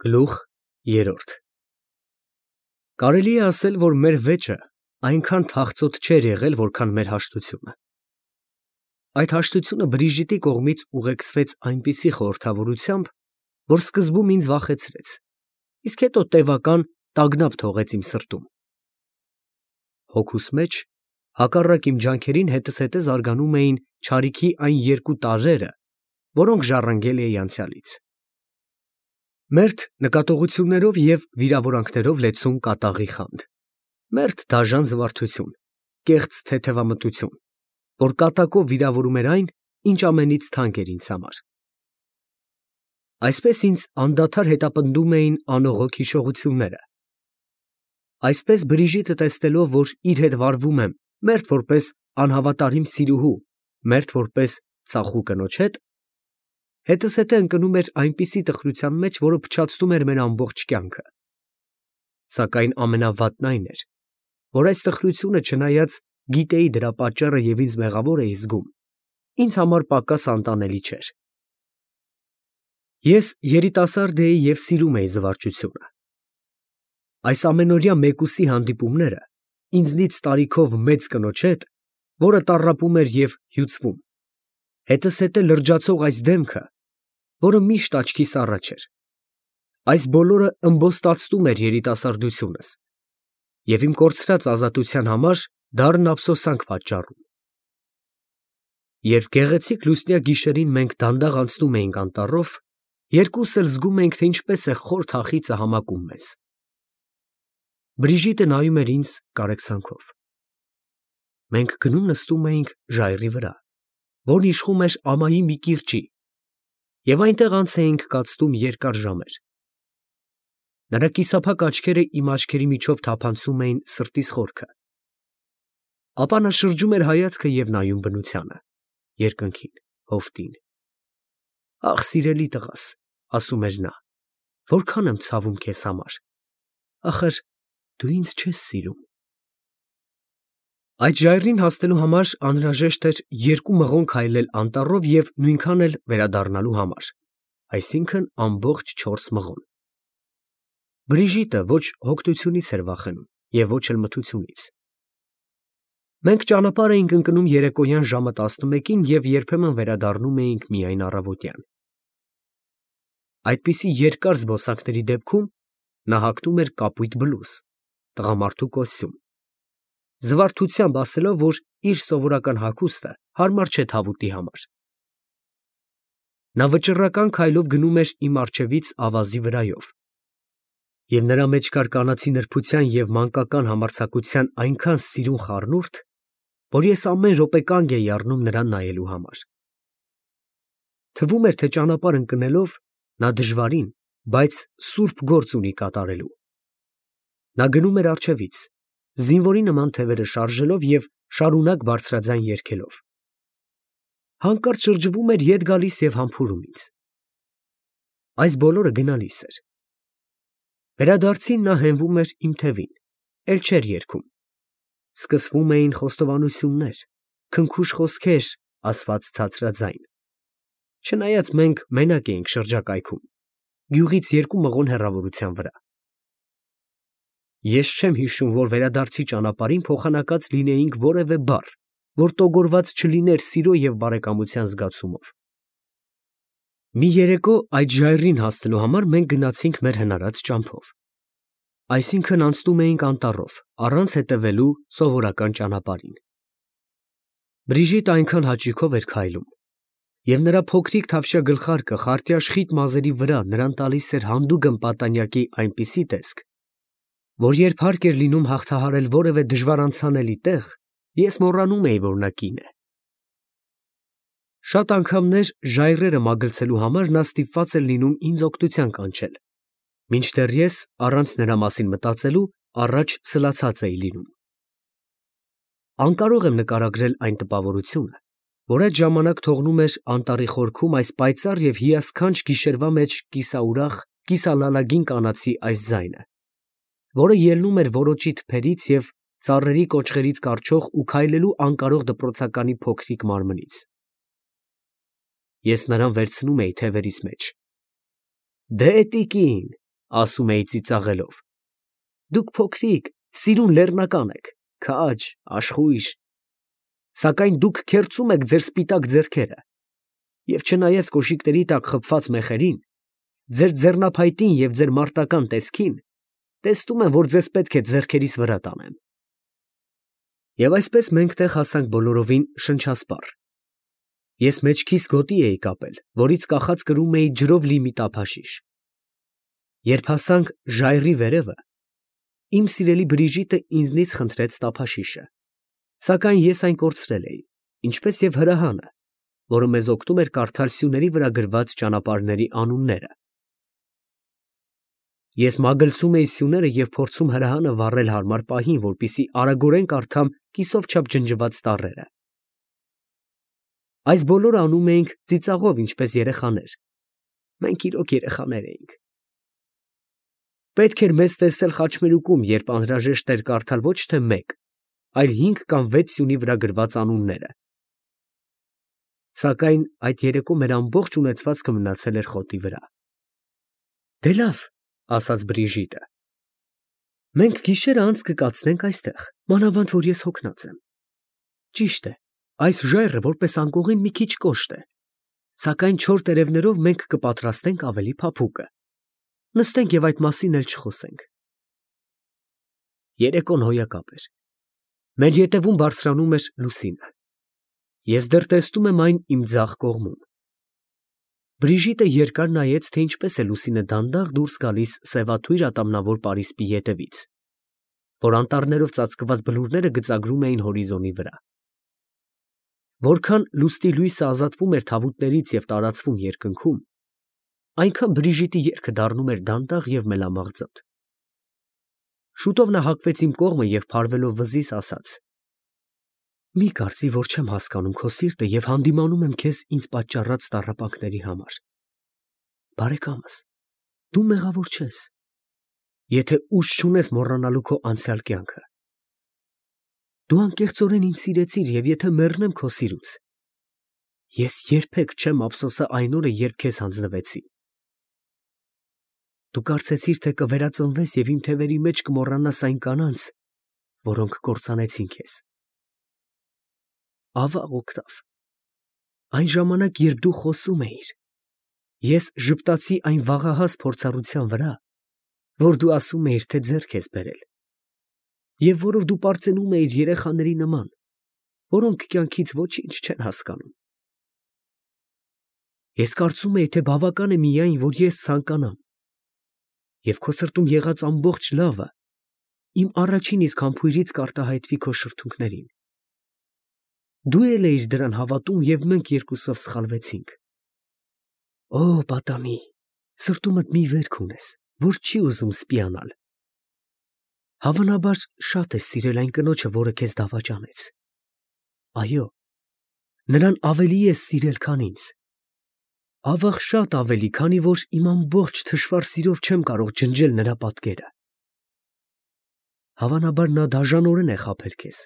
Գլուխ երրորդ Կարելի է ասել, որ մեր վեճը այնքան թախծոտ չէր եղել, որքան մեր հաշտությունը։ Այդ հաշտությունը Բրիժիտի կողմից ուղեկցվեց այնպիսի խորհրդավորությամբ, որ սկզբում ինձ վախեցրեց, իսկ հետո տևական տագնապ թողեց իմ սրտում։ Հոգուս մեջ, հակառակ իմ ջանքերին, հետզհետե զարգանում էին չարիքի այն երկու տարրերը, որոնք ժառանգել էի անցյալից։ Մերթ նկատողություններով և վիրավորանքներով լեցուն կատաղի խանդ, մերթ դաժան զվարթություն, կեղծ թեթևամտություն, որ կատակով վիրավորում էր այն, ինչ ամենից թանկ էր ինձ համար։ Այսպես ինձ անդադար հետապնդում էին անողոք հիշողությունները։ Այսպես Բրիժիտը տեսնելով, որ իր հետ վարվում եմ մերթ որպես անհավատարիմ սիրուհու, մերթ որպես ծախու կնոջ հետ, հետզհետե ընկնում էր այնպիսի տխրության մեջ, որը փչացնում էր մեր ամբողջ կյանքը։ Սակայն ամենավատն այն էր, որ այս տխրությունը, չնայած գիտեի դրա պատճառը և ինձ մեղավոր էի զգում, ինձ համար պակաս անտանելի չէր։ Ես երիտասարդ էի և սիրում էի զվարճությունը։ Այս ամենօրյա մեկուսի հանդիպումները ինձնից տարիքով մեծ կնոջ հետ, որը տառապում էր և հյուծվում, հետզհետե լրջացող այս դեմքը, որը միշտ աչքիս առաջ էր, այս բոլորը ըմբոստացնում էր երիտասարդությունս և իմ կորցրած ազատության համար դառն ափսոսանք պատճառում։ Երբ գեղեցիկ լուսնյակ գիշերին մենք դանդաղ անցնում էինք անտառով, երկուսս էլ զգում էինք, թե ինչպես է խոր թախիծը համակում մեզ։ Բրիժիտը նայում էր ինձ կարեկցանքով։ Մենք գնում նստում էինք ժայռի վրա, որն իշխում էր ամայի մի կիրճի, և այնտեղ անց էինք կացնում երկար ժամեր։ Նրա կիսափակ աչքերը իմ աչքերի միջով թափանցում էին սրտիս խորքը։ Ապա նա շրջում էր հայացքը և նայում բնությանը, երկնքին, հովտին։ «Ախ, սիրելի տղաս, ֊ ասում էր նա, ֊ որքան եմ ցավում քեզ համար, ախր դու ինձ չես սիրում»։ Այդ ժայռին հասնելու համար անհրաժեշտ էր 2 մղոն քայլել անտառով և նույնքան էլ վերադառնալու համար, այսինքն՝ ամբողջ 4 մղոն։ Բրիժիտը ոչ հոգնությունից էր վախենում և ոչ էլ մթությունից։ Մենք ճանապարհ էինք ընկնում երեկոյան ժամը 11-ին և երբեմն վերադառնում էինք միայն առավոտյան։ Այդպիսի երկար զբոսանքների դեպքում նա հագնում էր կապույտ բլուզ, տղամարդու կոստյում, զվարթությամբ ասելով, որ իր սովորական հագուստը հարմար չէ թավուտի համար։ Նա վճռական քայլով գնում էր իմ առջևից ավազի վրայով, և նրա մեջ կար կանացի նրբության և մանկական համարձակության այնքան սիրուն խառնուրդ, որ ես ամեն րոպե կանգ էի առնում նրան նայելու համար։ Թվում էր, թե ճանապարհ ընկնելով նա դժվարին, բայց սուրբ գործ ունի կատարելու։ Նա գնում էր առջևից, զինվորի նման թևերը շարժելով և շարունակ բարձրաձայն երգելով։ Հանկարծ շրջվում էր, ետ գալիս և համբուրում ինձ։ Այս բոլորը գնալիս էր։ Վերադարձին նա հենվում էր իմ թևին, էլ չէր երգում։ Սկսվում էին խոստովանություններ, քնքուշ խոսքեր, ասված ցածրաձայն։ Չնայած մենք մենակ էինք շրջակայքում, գյուղից 2 մղոն հեռավորության վրա։ Ես չեմ հիշում, որ վերադարձի ճանապարհին փոխանակած լինեինք որևէ բառ, որ տոգորված չլիներ սիրո և բարեկամության զգացումով։ Մի երեկո այդ ժայռին հասնելու համար մենք գնացինք մեր հնարած ճամփով, այսինքն անցնում էինք անտառով, առանց հետևելու սովորական ճանապարհին։ Բրիժիտը այնքան հաճույքով էր քայլում, և նրա փոքրիկ թավշյա գլխարկը խարտյաշղիթ մազերի վրա նրան տալիս էր հանդուգն պատանյակի այնպիսի տեսք, որ երբ հարկ էր լինում հաղթահարել որևէ դժվար անցանելի տեղ, ես մոռանում էի, որ նա կին է։ Շատ անգամներ ժայռերը մագլցելու համար նա ստիպված էր լինում ինձ օգնության կանչել, մինչդեռ ես, առանց նրա մասին մտածելու, առաջ սլացած էի լինում։ Անկարող եմ նկարագրել այն տպավորությունը, որ այդ ժամանակ թողնում էր անտառի խորքում այս պայծառ և հիասքանչ գիշերվա մեջ կիսաուրախ, կիսալալագին կանացի այս ձայնը, որը ելնում էր որոճի թփերից և ծառերի կոճղերից կառչող ու քայլելու անկարող դպրոցականի փոքրիկ մարմնից։ Ես նրան վերցնում էի թևերիս մեջ։ «Դե, տիկին, ասում էի ծիծաղելով։ Դուք փոքրիկ, սիրուն լեռնական եք, քաջ, աշխույժ, սակայն դուք քերծում եք ձեր սպիտակ ձեռքերը, և չնայած կոշիկների տակ խփված մեխերին, ձեր ձեռնափայտին և ձեր մարտական տեսքին, տեսնում եմ, որ ձեզ պետք է ձեռքերիս վրա տանեմ։ Եվ այսպես մենք տեղ հասանք բոլորովին շնչասպառ։ Ես մեջքիս գոտի էի կապել, որից կախած կրում էի ջրով լի մի տափաշիշ։ Երբ հասանք ժայռի վերևը, իմ սիրելի Բրիժիտը ինձնից խնդրեց տափաշիշը, սակայն ես այն կորցրել էի, ինչպես և հրահանը, որը մեզ օգնում էր կարդալ սյուների վրա գրված ճանապարհների անունները։ Ես մագլցում էի սյուները և փորձում հրահանը վառել հարմար պահին, որպեսզի արագորեն կարդամ կիսով չափ ջնջված տառերը։ Այս բոլորը անում էինք ծիծաղով, ինչպես երեխաներ։ Մենք իրոք երեխաներ էինք։ Պետք էր մեզ տեսնել խաչմերուկում, երբ անհրաժեշտ էր կարդալ ոչ թե մեկ, այլ 5 կամ 6 սյունի վրա գրված անունները։ Սակայն այդ երեկո մեր ամբողջ ունեցվածքը մնացել էր խոտի վրա։ Դե լավ, ասաց Բրիժիտը, մենք գիշերը անց կկացնենք այստեղ, մանավանդ որ ես հոգնած եմ։ Ճիշտ է, այս ժայռը որպես անկողին մի քիչ կոշտ է, սակայն չոր տերևներով մենք կպատրաստենք ավելի փափուկը։ Նստենք և այդ մասին էլ չխոսենք։ Երեկոն հոյակապ էր։ Մեր ետևում բարձրանում էր լուսինը։ Ես դեռ տեսնում եմ այն իմ ձախ կողմում։ Բրիժիտը երկար նայեց, թե ինչպես է լուսինը դանդաղ դուրս գալիս սևաթույր ատամնավոր պարիսպի ետևից, որ անտառներով ծածկված բլուրները գծագրում էին հորիզոնի վրա։ Որքան լուսնի լույսը ազատվում էր թավուտներից և տարածվում երկնքում, այնքան Բրիժիտի երգը դառնում էր դանդաղ և մելամաղձոտ։ Շուտով նա հակվեց իմ կողմը և փարվելով վզից ասաց. «Մի կարծի, որ չեմ հասկանում քո սիրտը և հանդիմանում եմ քեզ ինձ պատճառած տառապանքների համար։ Բարեկամս, դու մեղավոր չես, եթե ուժ չունես մոռանալու քո անցյալ կյանքը։ Դու անկեղծորեն ինձ սիրեցիր, և եթե մեռնեմ քո սիրուց, ես երբեք չեմ ափսոսա այն օրը, երբ քեզ հանձնվեցի։ Դու կարծեցիր, թե կվերածնվես և իմ թևերի մեջ կմոռանաս այն կանանց, որոնք կործանեցին քեզ։ Ավաղ օգտավ։ Այն ժամանակ, երբ դու խոսում էիր, ես ժպտացի այն վաղահաս փորձառության վրա, որ դու ասում էիր, թե ձեռք ես բերել, և որով դու պարծենում էիր երեխաների նման, որոնք կյանքից ոչինչ չեն հասկանում։ Ես կարծում էի, թե բավական է միայն, որ ես ցանկանամ, և քո սրտում եղած ամբողջ լավը իմ առաջին իսկ համբույրից կարտահայտվի քո շրթունքներին։ Դու էլ էիր դրան հավատում, և մենք երկուսով սխալվեցինք։ Օ, պատանի, սրտումդ մի վերք ունես, որ չի ուզում սպիանալ։ Հավանաբար շատ ես սիրել այն կնոջը, որը քեզ դավաճանեց։ Այո, նրան ավելի ես սիրել, քան ինձ։ Ավաղ շատ ավելի, քանի որ իմ ամբողջ թշվառ սիրով չեմ կարող ջնջել նրա պատկերը։ Հավանաբար նա դաժանորեն է խաբել քեզ,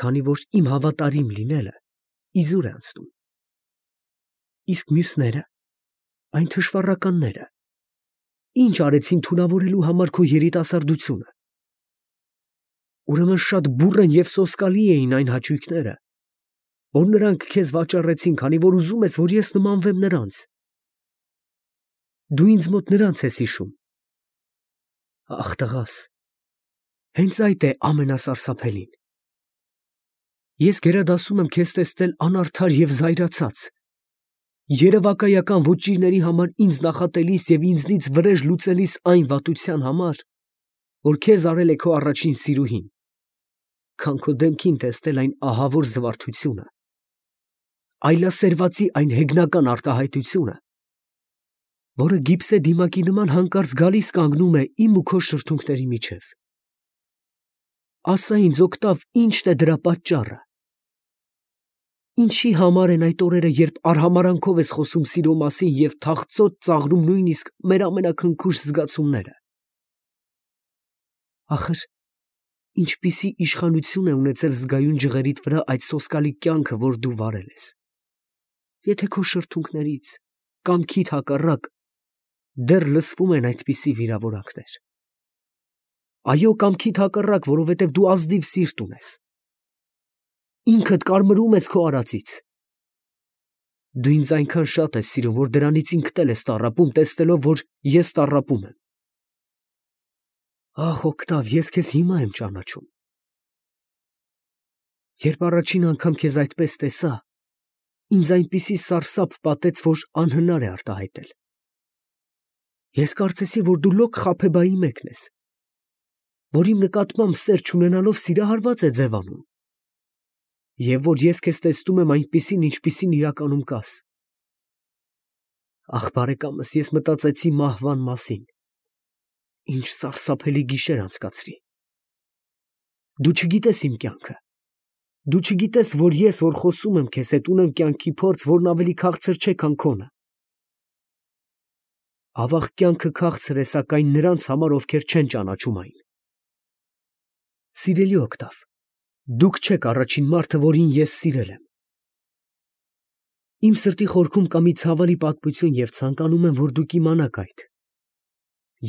քանի որ իմ հավատարիմ լինելը իզուր է անցնում։ Իսկ մյուսները, այն թշվառականները, ինչ արեցին թունավորելու համար քո երիտասարդությունը։ Ուրեմն շատ բուռն և սոսկալի էին այն հաճույքները, որ նրանք քեզ վաճառեցին, քանի որ ուզում ես, որ ես նմանվեմ նրանց։ Դու ինձ մոտ նրանց ես հիշում։ Ախ, տղաս, հենց այդ է ամենասարսափելին։ Ես գերադասում եմ քեզ տեսնել անարդար և զայրացած, երևակայական ոճիրների համար ինձ նախատելիս և ինձնից վրեժ լուծելիս այն վատության համար, որ քեզ արել է քո առաջին սիրուհին, քան քո դեմքին տեսնել այն ահավոր զվարթությունը, այլասերվածի այն հեգնական արտահայտությունը, որը գիպսե դիմակի նման հանկարծ գալիս կանգնում է իմ ու քո շրթունքների միջև։ Ասա ինձ, օգտավ, ի՞նչն է դրա պատճառը։ Ինչի համար են այդ օրերը, երբ արհամարհանքով ես խոսում սիրո մասին և թախծոտ ծաղրում նույնիսկ մեր ամենաքնքուշ զգացումները։ Ախր, ինչպիսի իշխանություն է ունեցել զգայուն ջղերիդ վրա այդ սոսկալի կյանքը, որ դու վարել ես, եթե քո շրթունքներից, կամքիդ հակառակ, դեռ լսվում են այդպիսի վիրավորանքներ։ Այո, կամքիդ հակառակ, որովհետև դու ազնիվ սիրտ ունես։ Ինքդ կարմրում ես քո արածից։ Դու ինձ այնքան շատ ես սիրում, որ դրանից ինքդ էլ ես տառապում, տեսնելով, որ ես տառապում եմ։ Ախ, Օկտավ, ես քեզ հիմա եմ ճանաչում։ Երբ առաջին անգամ քեզ այդպես տեսա, ինձ այնպիսի սարսափ պատեց, որ անհնար է արտահայտել։ Ես կարծեցի, որ դու լոկ Խաբեբայի մեկն ես, որ իմ նկատմամբ սեր չունենալով սիրահարված է ձևանում, և որ ես քեզ տեսնում եմ այնպիսին, ինչպիսին իրականում կաս։ Ախ, բարեկամս, ես մտածեցի մահվան մասին։ Ինչ սարսափելի գիշեր անցկացրի։ Դու չգիտես իմ կյանքը։ Դու չգիտես, որ ես, որ խոսում եմ քեզ հետ, ունեմ կյանքի փորձ, որն ավելի քաղցր չէ, քան քոնը։ Ավաղ կյանքը քաղցր է, սակայն նրանց համար, ովքեր չեն ճանաչում այն։ Սիրելի Օկտավ, դուք չեք առաջին մարդը, որին ես սիրել եմ։ Իմ սրտի խորքում կա մի ցավալի պատմություն և ցանկանում եմ, որ դուք իմանաք այդ։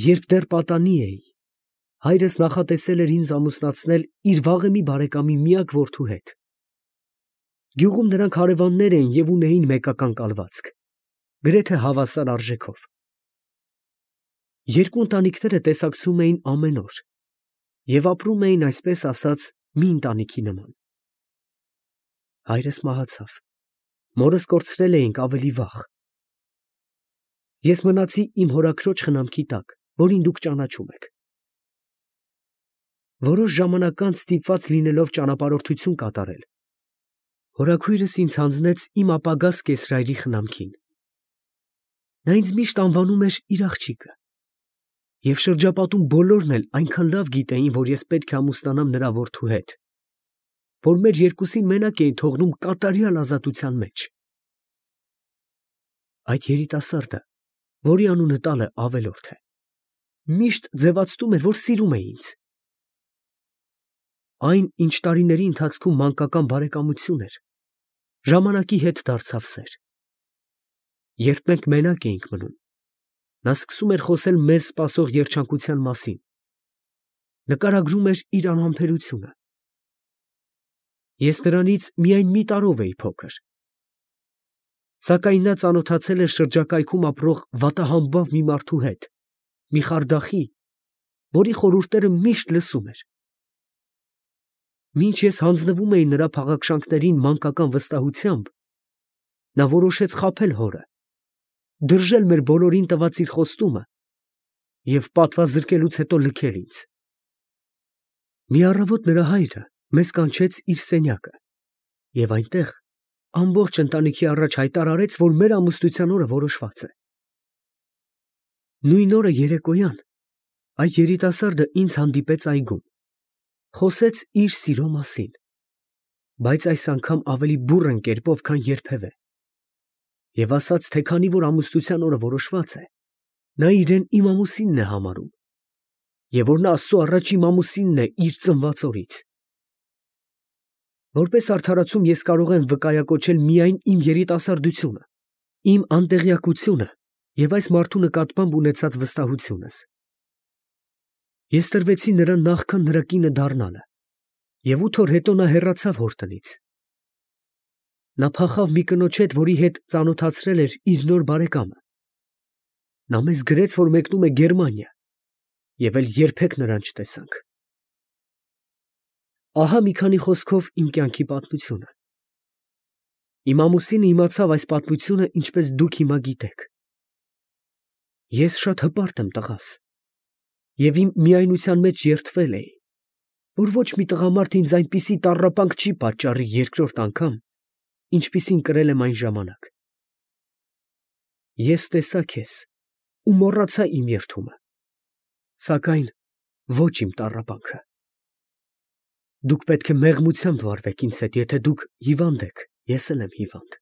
Երբ դեռ պատանի էի, հայրս նախատեսել էր ինձ ամուսնացնել իր վաղեմի բարեկամի միակ որդու հետ։ Գյուղում նրանք հարևաններ էին և ունեին մեկական կալվածք, գրեթե հավասար արժեքով։ Երկու ընտանիքները տեսակցում էին ամեն օր և ապրում էին, այսպես ասած, մի ընտանիքի նման։ Հայրս մահացավ, մորս կորցրել էինք ավելի վաղ։ Ես մնացի իմ հորաքրոջ խնամքի տակ, որին դուք ճանաչում եք։ Որոշ ժամանակ անց ստիպված լինելով ճանապարհորդություն կատարել, հորաքույրս ինձ հանձնեց իմ ապագա կեսրայրի խնամքին։ Նա ինձ միշտ անվանում էր իր աղջիկը, և շրջապատում բոլորն էլ այնքան լավ գիտեին, որ ես պետք է ամուսնանամ նրա որդու հետ, որ մեր երկուսին մենակ էին թողնում կատարյալ ազատության մեջ։ Այդ երիտասարդը, որի անունը տալը Ավելորդ է, միշտ ձևացնում էր, որ սիրում է ինձ։ Այն, ինչ տարիների ընթացքում մանկական բարեկամություն էր, ժամանակի հետ դարձավ սեր։ Երբ մենք մենակ էինք մնում, նա սկսում էր խոսել մեզ սպասող երջանկության մասին, նկարագրում էր իր անհամբերությունը։ Ես նրանից միայն մի տարով էի փոքր, սակայն նա ծանոթացել էր շրջակայքում ապրող վատահամբավ մի մարդու հետ, մի խարդախի, որի խորհուրդները միշտ լսում էր։ Մինչ ես հանձնվում էի նրա փաղաքշանքներին մանկական վստահությամբ, նա որոշեց խաբել հորը, դրժել մեր բոլորին տված իր խոստումը և պատվազրկելուց հետո լքել ինձ։ Մի առավոտ նրա հայրը մեզ կանչեց իր սենյակը և այնտեղ ամբողջ ընտանիքի առաջ հայտարարեց, որ մեր ամուսնության օրը որոշված է։ Նույն օրը երեկոյան այդ երիտասարդը ինձ հանդիպեց այգում, խոսեց իր սիրո մասին, բայց այս անգամ ավելի բուռն կերպով, քան երբևէ, և ասաց, թե քանի որ ամուսնության օրը որոշված է, նա իրեն իմ ամուսինն է համարում, և որ նա Աստծու առաջ իմ ամուսինն է իր ծնված օրից։ Որպես արդարացում ես կարող եմ վկայակոչել միայն իմ երիտասարդությունը, իմ անտեղյակությունը և այս մարդու նկատմամբ ունեցած վստահությունս։ Ես տրվեցի նրան նախքան նրա կինը դառնալը, և 8 օր հետո նա հեռացավ հոր տնից։ Նա փախավ մի կնոջ հետ, որի հետ ծանոթացրել էր իր նոր բարեկամը։ Նա մեզ գրեց, որ մեկնում է Գերմանիա, և էլ երբեք նրան չտեսանք։ Ահա մի քանի խոսքով իմ կյանքի պատմությունը։ Իմ ամուսինը իմացավ այս պատմությունը, ինչպես դուք հիմա գիտեք։ Ես շատ հպարտ եմ, տղաս, և իմ միայնության մեջ երդվել էի, որ ոչ մի տղամարդ ինձ այնպիսի տառապանք չի պատճառի երկրորդ անգամ, ինչպիսին կրել եմ այն ժամանակ։ Ես տեսա քեզ ու մոռացա իմ երդումը, սակայն ոչ իմ տառապանքը։ Դուք պետք է մեղմությամբ վարվեք ինձ հետ, եթե դուք հիվանդ եք, ես էլ եմ հիվանդ։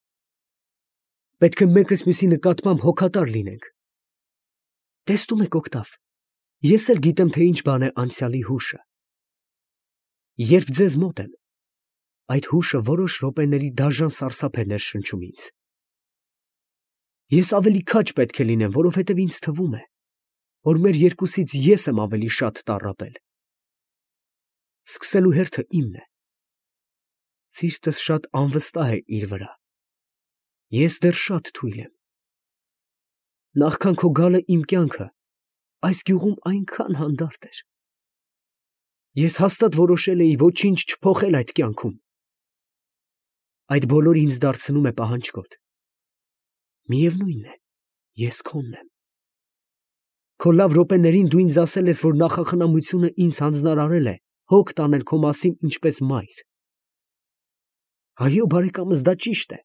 Պետք է մեկս մյուսի նկատմամբ հոգատար լինենք։ Տեսնում եք, Օկտավ, ես էլ գիտեմ, թե ինչ բան է անցյալի հուշը։ Երբ ձեզ մոտ եմ, այդ հուշը որոշ րոպեների դաժան սարսափ է ներշնչում ինձ։ Ես ավելի քաջ պետք է լինեմ, որովհետև ինձ թվում է, որ մեր երկուսից ես եմ ավելի շատ տառապել։ Սկսելու հերթը իմն է։ Սիրտս շատ անվստահ է իր վրա։ Ես դեռ շատ թույլ եմ։ Նախքան քո գալը իմ կյանքը այս գյուղում այնքան հանդարտ էր։ Ես հաստատ որոշել էի ոչինչ չփոխել այդ կյանքում։ Այդ բոլորը ինձ դարձնում է պահանջկոտ։ Միևնույն է, ես քոնն եմ։ Քո լավ րոպեներին դու ինձ ասել ես, որ նախախնամությունը ինձ հանձնարարել է հոգ տանել քո մասին ինչպես մայր։ Այո, բարեկամս, դա ճիշտ է։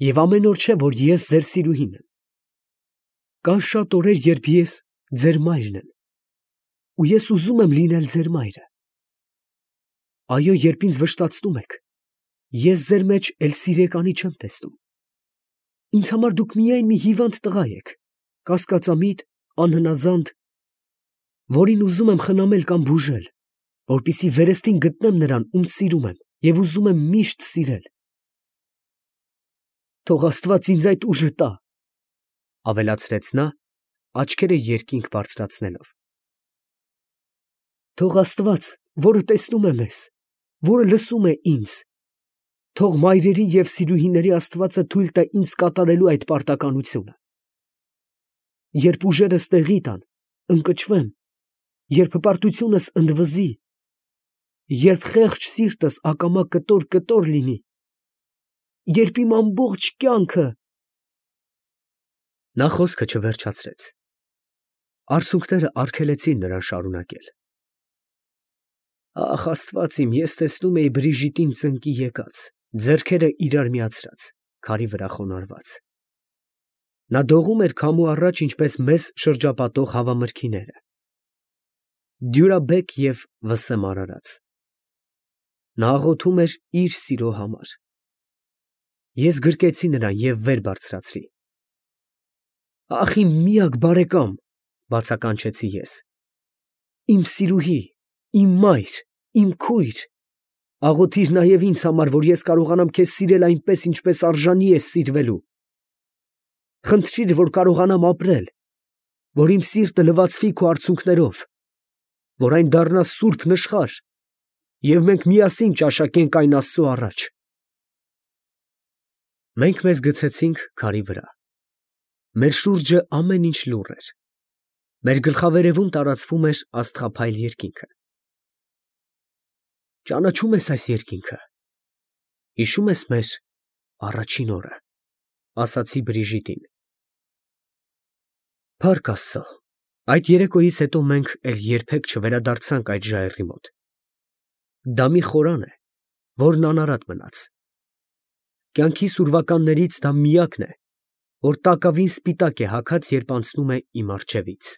Եվ ամեն օր չէ, որ ես ձեր սիրուհին եմ։ Կան շատ օրեր, երբ ես ձեր մայրն եմ։ Ու ես ուզում եմ լինել ձեր մայրը։ Այո, երբ ինձ վշտացնում եք, ես ձեր մեջ էլ սիրեկանի չեմ տեսնում։ Ինձ համար դուք միայն մի հիվանդ տղա եք, կասկածամիտ, անհնազանդ, որին ուզում եմ խնամել կամ բուժել, որպեսզի վերստին գտնեմ նրան, ում սիրում եմ և ուզում եմ միշտ սիրել։ Թող Աստված ինձ այդ ուժը տա, ավելացրեց նա, աչքերը երկինք բարձրացնելով։ Թող Աստված, որը տեսնում է մեզ, որը լսում է ինձ, թող մայրերի և սիրուհիների Աստվածը թույլ տա ինձ կատարելու այդ պարտականությունը։ Երբ ուժերս տեղի տան, ընկճվեմ, երբ հպարտությունս ընդվզի, երբ խեղճ սիրտս ակամա կտոր լինի, երբ իմ ամբողջ կյանքը… Նա խոսքը չվերջացրեց։ Արցունքները արգելեցին նրան շարունակել։ Ախ, Աստված իմ, ես տեսնում էի Բրիժիտին ծնկի եկած, ձեռքերը իրար միացրած, քարի վրա խոնարհված։ Նա դողում էր քամու առաջ, ինչպես մեզ շրջապատող հավամրգիները։ Դյուրաբեկ և վսեմ արարած։ Նա աղոթում էր իր սիրո համար։ Ես գրկեցի նրան և վեր բարձրացրի։ Ախ, իմ միակ բարեկամ, բացականչեցի ես։ Իմ սիրուհի, իմ մայր, իմ քույր, աղոթիր նաև ինձ համար, որ ես կարողանամ քեզ սիրել այնպես, ինչպես արժանի է սիրվելու։ Խնդրիր, որ կարողանամ ապրել, որ իմ սիրտը լվացվի քո արցունքներով, որ այն դառնա սուրբ նշխար, և մենք միասին ճաշակենք այն Աստծո առաջ։ Մենք մեզ գցեցինք քարի վրա։ Մեր շուրջը ամեն ինչ լուռ էր։ Մեր գլխավերևում տարածվում էր աստղափայլ երկինքը։ Ճանաչո՞ւմ ես այս երկինքը։ Հիշո՞ւմ ես մեր առաջին օրը, ասացի Բրիժիտին։ Փառք Աստծո, այդ երեկոյից հետո մենք էլ երբեք չվերադարձանք այդ ժայռի մոտ։ Դա մի խորան է, որն անարատ մնաց։ Կյանքիս ուրվականներից դա միակն է, որ տակավին սպիտակ է հագած, երբ անցնում է իմ առջևից։